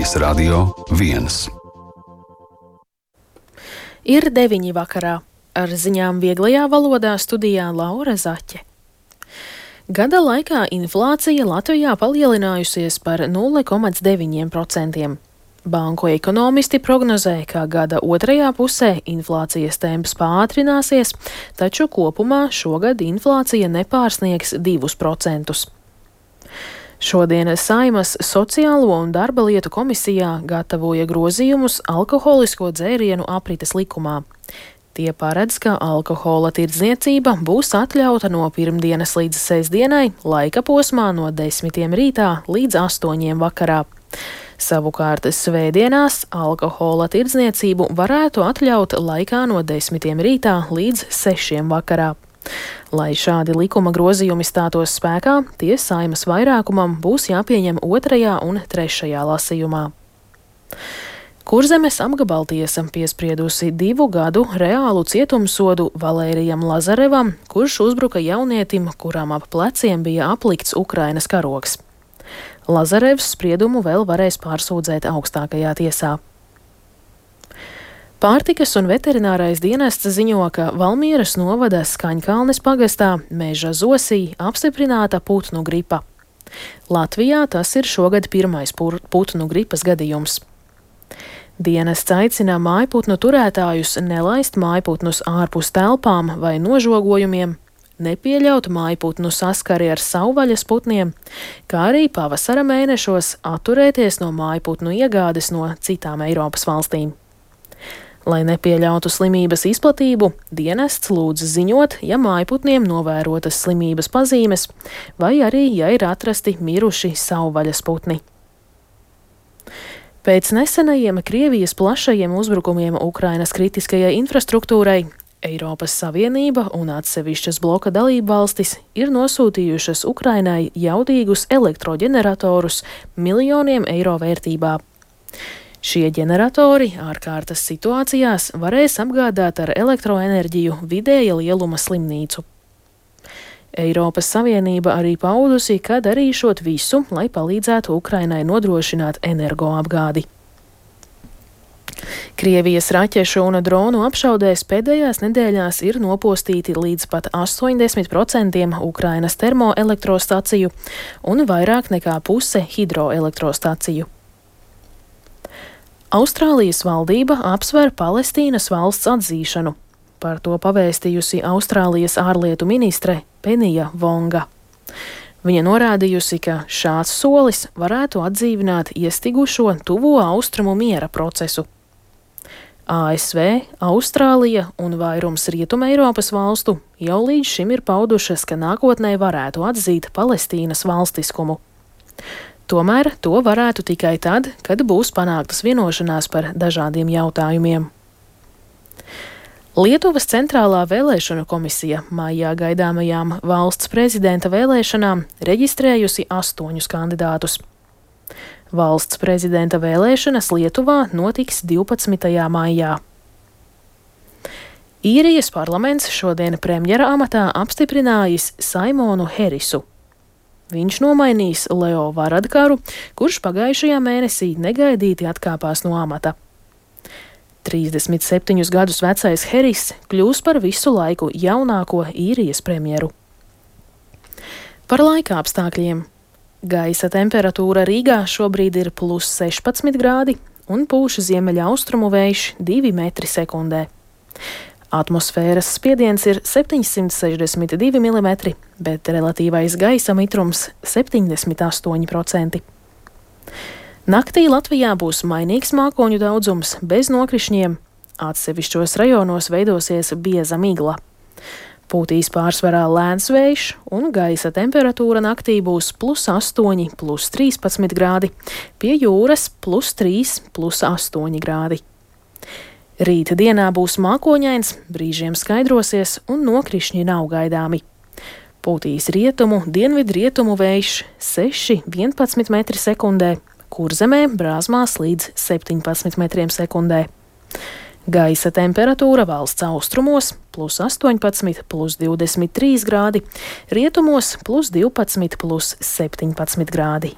Latvijas Radio 1. Ir 9 vakarā. Ar ziņām vieglajā valodā studijā Laura Zaķe. Gada laikā inflācija Latvijā palielinājusies par 0,9%. Banku ekonomisti prognozē, ka gada otrajā pusē inflācijas temps pātrināsies, taču kopumā šogad inflācija nepārsniegs 2%. Šodien Saeimas Sociālo un darba lietu komisijā gatavoja grozījumus alkoholisko dzērienu aprites likumā. Tie paredz, ka alkohola tirdzniecība būs atļauta no pirmdienas līdz sestdienai, laika posmā no 10 rītā līdz 8 vakarā. Savukārt svētdienās alkohola tirdzniecību varētu atļaut laikā no 10 rītā līdz 6 vakarā. Lai šādi likuma grozījumi stātos spēkā, tie Saeimas vairākumam būs jāpieņem 2. un 3. lasījumā. Kurzemes apgabaltiesa piespriedusi 2 gadu reālu cietumsodu Valērijam Lazarevam, kurš uzbruka jaunietim, kuram ap pleciem bija aplikts Ukrainas karogs. Lazarevs spriedumu vēl varēs pārsūdzēt augstākajā tiesā. Pārtikas un veterinārais dienests ziņo, ka Valmieras novada Skaņkalnes pagastā Meža Zosī apstiprināta putnu gripa. Latvijā tas ir šogad pirmais putnu gripas gadījums. Dienests aicina mājputnu turētājus nelaist mājputnus ārpus telpām vai nožogojumiem, nepieļaut mājputnu saskari ar savvaļas putniem, kā arī pavasara mēnešos atturēties no mājputnu iegādes no citām Eiropas valstīm. Lai nepieļautu slimības izplatību, dienests lūdz ziņot, ja mājputniem novērotas slimības pazīmes, vai arī, ja ir atrasti miruši savvaļas putni. Pēc nesenajiem Krievijas plašajiem uzbrukumiem Ukrainas kritiskajai infrastruktūrai, Eiropas Savienība un atsevišķas bloka dalībvalstis ir nosūtījušas Ukrainai jaudīgus elektroģeneratorus miljoniem eiro vērtībā. Šie ģeneratori ārkārtas situācijās varēs apgādāt ar elektroenerģiju vidēja lieluma slimnīcu. Eiropas Savienība arī paudusi, ka darīšot visu, lai palīdzētu Ukrainai nodrošināt energoapgādi. Krievijas raķešu un dronu apšaudēs pēdējās nedēļās ir nopostīti līdz pat 80% Ukrainas termoelektrostaciju un vairāk nekā puse hidroelektrostaciju. Austrālijas valdība apsver Palestīnas valsts atzīšanu. Par to pavēstījusi Austrālijas ārlietu ministre Penija Vonga. Viņa norādījusi, ka šāds solis varētu atdzīvināt iestigušo tuvo austrumu miera procesu. ASV, Austrālija un vairums Rietuma Eiropas valstu jau līdz šim ir paudušas, ka nākotnē varētu atzīt Palestīnas valstiskumu. Tomēr to varētu tikai tad, kad būs panāktas vienošanās par dažādiem jautājumiem. Lietuvas centrālā vēlēšanu komisija maijā gaidāmajām valsts prezidenta vēlēšanām reģistrējusi 8 kandidātus. Valsts prezidenta vēlēšanas Lietuvā notiks 12. maijā. Īrijas parlaments šodien premjera amatā apstiprinājis Saimonu Herisu. Viņš nomainīs Leo Varadkaru, kurš pagājušajā mēnesī negaidīti atkāpās no amata. 37 gadus vecais Heris kļūs par visu laiku jaunāko Īrijas premjeru. Par laika apstākļiem. Gaisa temperatūra Rīgā šobrīd ir +16 grādi un pūš ziemeļaustrumu vējš 2 metri sekundē. Atmosfēras spiediens ir 762 mm, bet relatīvais gaisa mitrums 78%. Naktī Latvijā būs mainīgs mākoņu daudzums bez nokrišņiem. Atsevišķos rajonos veidosies bieza migla. Pūtīs pārsvarā lēns vējš un gaisa temperatūra naktī būs +8, +13 grādi, pie jūras +3, +8 grādi. Rīta dienā būs mākoņains, brīžiem skaidrosies un nokrišņi nav gaidāmi. Pūtīs rietumu, dienvidrietumu vējš 6–11 metri sekundē, Kurzemē brāzmās līdz 17 metriem sekundē. Gaisa temperatūra valsts austrumos +18, +23 grādi, rietumos +12, +17 grādi.